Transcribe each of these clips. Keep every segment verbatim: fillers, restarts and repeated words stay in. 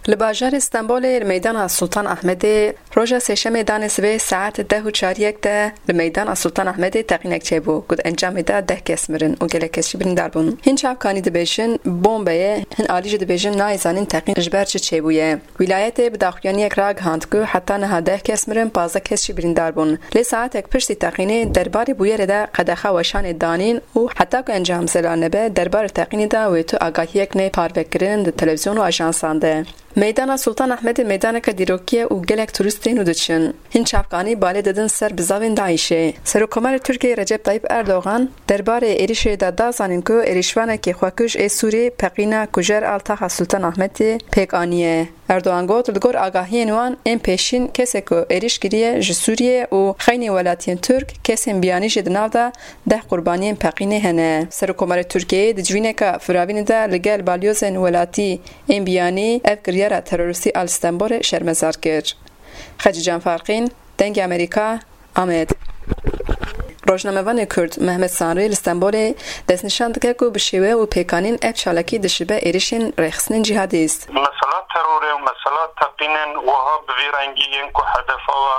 Li bajarê Stenbolê li meydana Sultan Ahmedê roja Sêşemê danê sibê saet deh û çariyek de li meydana Sultan Ahmedê teqînek çêbû ku di encamê de deh kes mirin û gelek kes jî birîndar bûn. Hin çavkanî dibêjin bombe ye, hin alî jî dibêjin nayê zanîn teqîn ji ber çi çêbûye. Wîlayetê bi daxuyaniyek ragihand ku heta niha deh kes mirin, pazdeh kes jî birîndar bûn. Lê saetek piştî teqînê derbarê bûyerê de qedexa weşanê danîn û heta ku encam zelal nebe, derbarê teqînê de wê tu agahiyek neyê parvekirin di televîzyon û ajansan de. Meydana Sultan Ahmedê meydaneke dîrokî ye û gelek turîst tên û diçin. Hin çavkanî balê didin ser bizavên DAIŞê. Serokkomarê Tirkiyeyê Recep Tayyip Erdogan derbarê êrişê de da zanîn ku êrişvanekî xwekuj ê Sûrî peqîna kujer a li taxa Sultan Ahmedê pêk aniye. Erdogan got, li gor agahiyên wan ên pêşîn kesê ku êrîş kiriye ji Sûriyê û xeynî welatiyên Tirk, kesên biyanî jî di nav de deh qurbaniyên peqînê hene. Serokkomarê Tirkiyeyê di civîneke firavînê de li gel balyozên welatî ên biyanî ev kiryara terorîstî a li Stenbolê şermezar kir. Xecîcan Farqîn, Dengê Amerîka, Amed. Rojnamevanê Kurd Mehmet Sanrî li Stenbolê destnîşan dike ku bi şêwe û pêkanîn ev çalakî dişibe êrişên rêxistinên cîhadîst. Mesela terorê û mesela teqînên wiha bi vî rengî yên ku hedefa we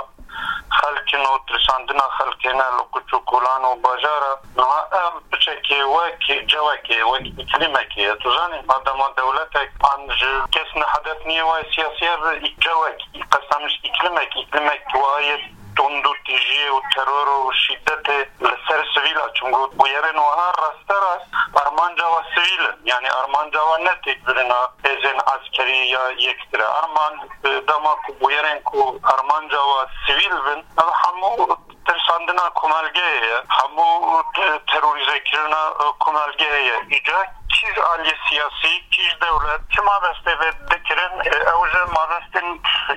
xelk in û tirsandina xelkê ne li quç û kolan û bajar e. Niha ev piçekê wek cewekê, wek îklîmekê ye. Tu zanî, madema dewletek an ji kes ne hedef niye, wayê siyasî ye, bi cewek, qesdem ji îklîmek, îklîmek wayê tund û tîjiyê û teror û şîdetê li ser sivîl a. Çimgo bûyerên wiha rasterast armanca we sivîl in. Yanî armanca we ne têkbirina hêzên eskerî ya yektir e. Armanc, e, dema ku bûyerên ku armanca we sivîl bin, ev hemû tirsandina komelgehê ye, hemû te-, terorîzekirina, e, komelgehê ye. Îca kî ji aliyê siyasî, kî ji dewlet, çima destê vê dikirin? E, ew ji mabestên,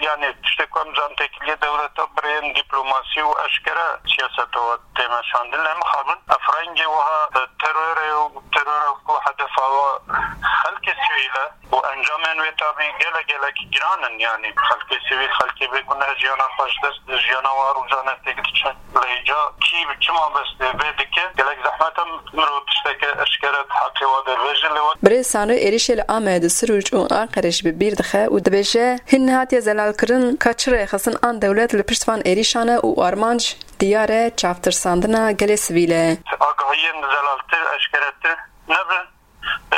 yanî tiştê ku em zan têkiliyê dewleta bi rêyên dîplomasî û eşkere siyaseta we tê meşandin. Lê mixabin ev rengê wiha, e, terorê û terora ku hedefa we xelkê sivîl e, û encamên wê tabî gelek gelek giran in, yanî xelkê sivîl, xelkê bêguneh jiyana xwe ji dest dide, jiyana wan rojane têk diçe. Lê îca kî bi çi mabestê vê dike, gelek zehmet e mirov tişteke eşkere di heqê wan de bêje, lê wek Birêz Sanrî êrişê li Amed, Sirûc û Anqerê jî bi bîr dixe û dibêje, hin nehatiye zelalkirin ka çi rêxistin an dewlet li pişt van êrişan e û armanc diyar e, çavtirsandina gelê sivîl e. Agahiyên zelaltir, eşkeretir nebin.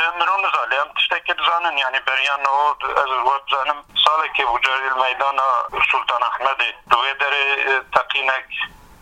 E, mirov nizane, em tiştekî dizanin, yanî beriya niho, ez we dizanim, salekê bû carî li meydana Sultan Ahmedê, di wê derê, e, teqînek,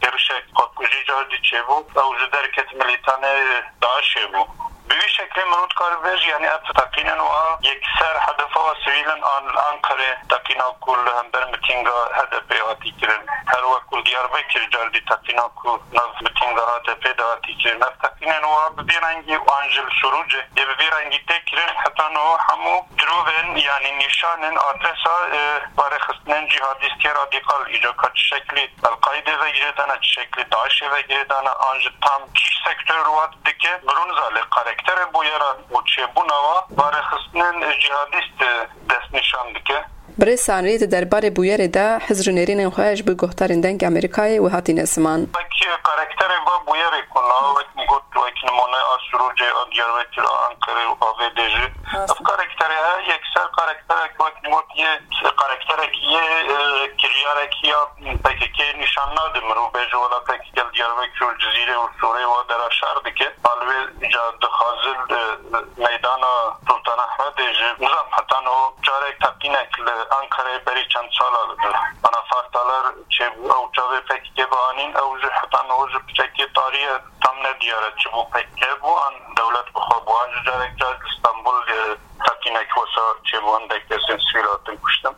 êrişek xwekujî cardî çêbû, ew ji derket milîtanê DAIŞê bû. Bi vî şeklê mirov dikare bibêje, yanî ev teqînên wiha yekser hedefa we sivîl in, an li Anqerê teqîna ku li hember mitînga HDPê hatî kirin, her wek ku li Diyarbekir cardî teqîna ku nav mitînga HDPê de hatî kirin. Ev teqînên wiha bi vî rengî an jî li Sirûcê yê bi vî rengî tê kirin, heta niho hemû dirovên, yanî nîşanên adresa, e, barêxistinên cîhadîstiyê radîkal, îca ka çi şeklî El-Qaîdê ve girêdane, çi şeklî DAIŞê ve girêdane, an jî tam kî sektor wan dike, mirov nizane, lê karakterê bûyeran û çêbûna wan barêxistinên cîhadîst, e, destnîşan dike. Birêz Sanrî di derbarê bûyerê de hizr û nêrînên xwe ji bo guhdarên Dengê Amerîkayê wiha tîne ziman. Wek karakterê va bûyerê ku na wek min got, wek nimûne a Sirûcê, a Diyarbekir, a Anqerê û a vê dê jî. Rast. Ev karakterê he, yekser karakterek wek min got yê, karakterek yê, e, kiryarek ya P K K nîşan nade. Mirov bêje wela P K K li Diyarbekir û Cizîrê û Sûrê wa dera şer dike. Alvê ca dixwazin, e, meydana Sultan Ahmedê jî, nizam heta niho carek teqînek li Ankarayê berî çend sala, e, Anafartalar çêbû, ew çavê P K K bianîn, ew jî heta niho ji piçekê tarî ye, tam nediyar e çi bû P K K bû, an dewlet bi xwe bû, an jî carek car li Stenbul, e, teqînek wesa çêbû, hindek kesên sivîl hatin kuştin.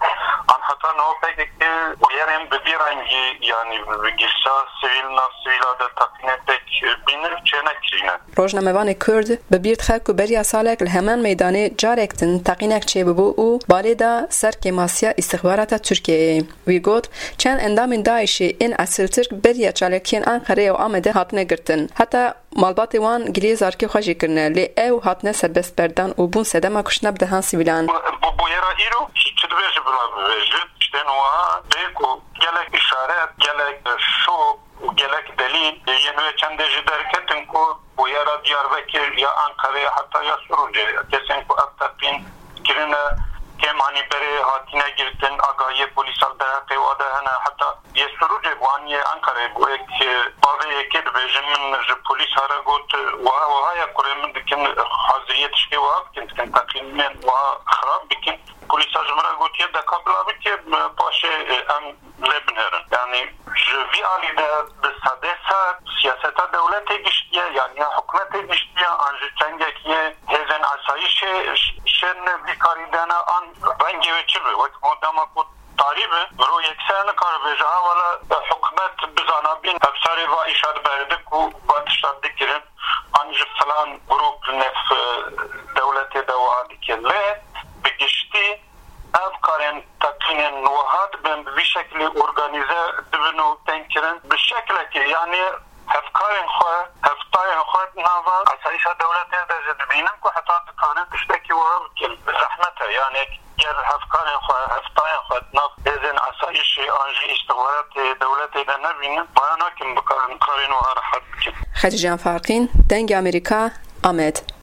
An heta niho P K K bûyerên bi vî rengî, yanî bi, bi girsa sivîl, nav sivîla de teqînê pêk bînin çênekirîne. Rojnamevanê Kurd bi bîr dixe ku beriya salek li heman meydanê carek din teqînek çêbibû û balê da ser kêmasiya îstixbarata Tirkiyeyê. Wî got, çend endamên DAIŞê ên esiltir beriya çalakiyên Anqerê û Amedê hatine girtin. Heta malbatê wan giliyê zarokê xwe jî kirine, lê ew hatine serbestberdan û bûn sedema kuştina bi dehan sivîlan. Bu, bu, bûyera îro çi, çi dibêje bila bibêje, tiştên wiha bê ku gelek îşaret, gelek şok û gelek delîl yên wê çendê jî derketin ku bûyera Diyarbekir ya Ankarê heta ya Sirûcê, kesên ku ev teqîn kirine, kêm anî berê hatine girtin, agahiyê polîsan derheqê wa de hene, heta yê Sirûcê bû an yê Enqereyê bû. Êk, e, bavê yekê dibêjin, min ji polîsa re got, wiha wiha ye, kurê min dikin haziriyê tişkê wiha bikin, dikin teqînên wiha xirab bikin. Polîsa ji min re gotiye, deka bila bike, paşê, e, em lê binêrin. Yanî ji vî alî de bi sedê sed siyaseta dewletê giştiye, yan ya hikûmetê giştiye, an ji çengekî hêzên asayîşê ş-, şên vî karî dene, an rengê wê çi be, wek ku dema ku tarî be, mirov yekser nikare bêje, ha wela hikûmet bizanabîn, hevsarê va îşa diberdik û va tişta dikirin, an ji filan grûp li nêv, e, dewletê de wiha dike. Lê bi giştî ev karên teqînên wiha dibin, bi vî şekilî organîze dibin û tên kirin. Bi şekilekê, yanî hevkarên xwe, hevtayên xwe di nava asayîşa dewletê de jî dibînin ku heta dikarin tiştekî wiha bikin. Zehmet e, yanî ger hevkarên xwe, hevtayên xwe di nav hêzên asayîşê an jî îstixbaratê dewletê de nebînin, maya nakin bikarin karên wiha rehet bikin. Xecîcan Farqîn, Dengê Amerîka, Amed.